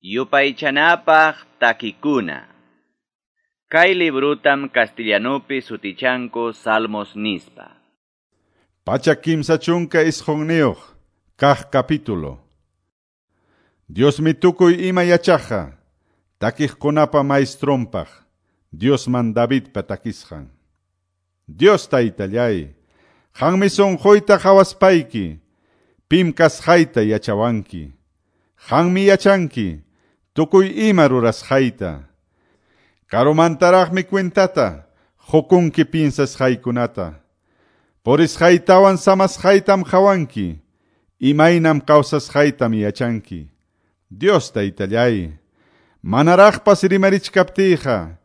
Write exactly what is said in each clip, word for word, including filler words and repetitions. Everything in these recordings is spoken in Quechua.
Yupaychanapaq takikuna. Kay librutam castellanupi sutichanku Salmos nispa. Pachak kimsa chunka isqunniyuq kaq capítulo. Diosmi tukuy ima yachaqqa, takiqkunapa maestronpaq, Diosman Davidpa takisqan. Dios taytallay, qanmi sunquyta qawaspayki, pim kasqayta yachawanki. Qanmi yachanki, tukuy ima rurasqayta. Karumantaraqmi cuentata, qukunki piensasqaykunata. Purisqaytawan samasqaytam qawanki, imaynam kawsasqaytam yachanki. Dios taytallay, manaraqpas rimarichkaptiyqa,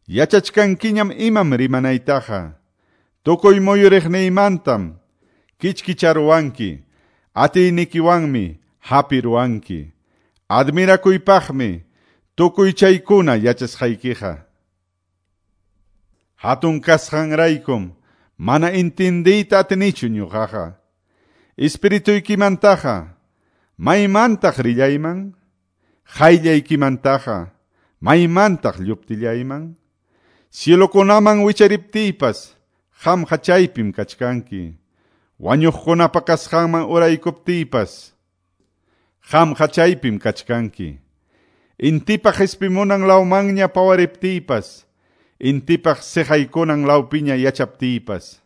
yachachkankiñam imam rimanaytaqa. Tukuy muyuriqniymantam kichkicharuwanki, atiynikiwanmi hapiruwanki. Admirakuypaqmi tukuy chaykuna yachasqaykiqa. Hatun kasqanraykum mana intindiyta atinichu ñuqaqa. Espirituykimantaqa maymantaq rillayman, qayllaykimantaqa maymantaq lluptillayman. Cielokunaman wichariptiypas qamqa chaypim kachkanki. Wañuqkunapa kasqanman uraykuptiypas qamqa chaypim kachkanki. Intipaq qispimunan lawmanña pawariptiypas, intipaq siqaykunan lawpiña yachaptiypas,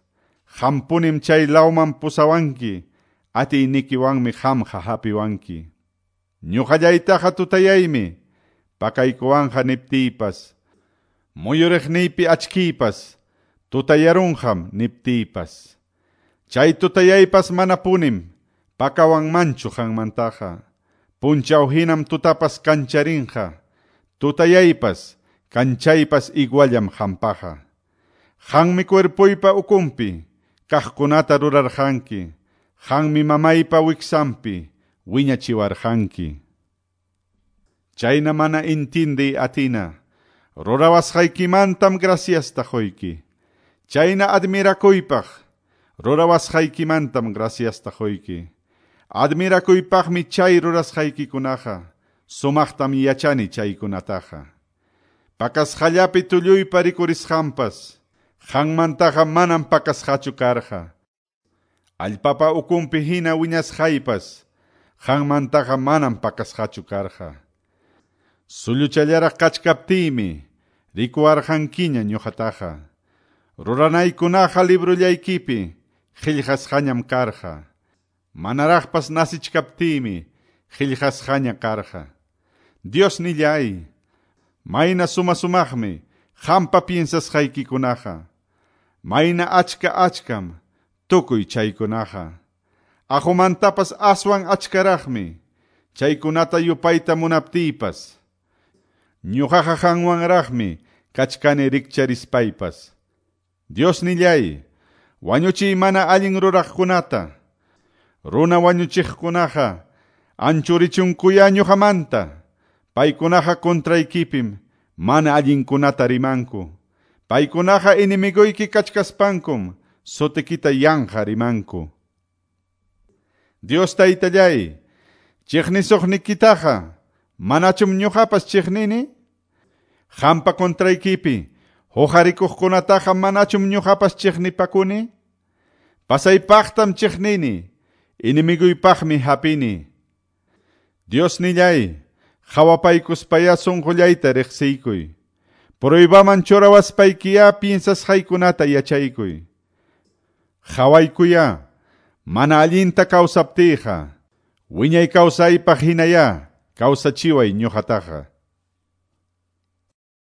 qampunim chay lawman pusawanki, atiynikiwanmi qamqa hapiwanki. Ñuqallaytaqa tutayaymi, pakaykuwanqa niptiypas, muyuriqniypi achkiypas, tutayarunqam niptiypas. Chay tutayaypas manapunim, pakawanmanchu qanmantaqa. Punchaw hinam tutapas kancharinqa, tutayaypas, kanchaypas iguallam qampaqa. Qanmi cuerpoypa ukunpi, kaqkunata rurarqanki, qanmi mamaypa wiksanpi, wiñachiwarqanki. Chayna mana intindiy atina, rurawasqaykimantam graciasta quyki. Chayna admirakuypaq, rurawasqaykimantam graciasta quyki. Admirakuypaqmi chay rurasqaykikunaqa, sumaqtam yachani chaykunataqa. Pakasqallapi tulluypa rikurisqanpas, qanmantaqa manam pakasqachu karqa. Allpapa ukunpi hina wiñasqaypas, qanmantaqa manam pakasqachu karqa. Sulluchallaraq kachkaptiymi, rikuwarqankiña ñuqataqa. Ruranaykunaqa librullaykipi, qillqasqañam karqa. Manaraqpas nasichkaptiymi, qillqasqaña karqa. Dios nillay, mayna suma sumaqmi, qampa piensasqaykikunaqa. Mayna achka achkam, tukuy chaykunaqa. Aqumantapas aswan achkaraqmi, chaykunata yupayta munaptiypas. Ñuqaqa qanwanraqmi, kachkani rikcharispaypas. Dios nillay, wañuchiy mana allin ruraqkunata. Runa wañuchiqkunaqa anchurichunkuya ñuqamanta. Paykunaqa contraykipim mana allinkunata rimanku. Paykunaqa enemiguyki kachkaspankum sutikita yanqa rimanku. Dios taytallay, chiqnisuqnikitaqa manachum ñuqapas chiqnini? Qampa contraykipi huqarikuqkunataqa manachum ñuqapas chiqnipakuni? Pasaypaqtam chiqnini, enemiguypaqmi hapini. Dios nillay, qhawapaykuspaya sunqullayta riqsiykuy. Pruebaman churawaspaykiyá piensasqaykunata yachaykuy. Qhawaykuya, mana allinta kawsaptiyqa, wiñay kawsaypaq hinayá kawsachiway ñuqataqa.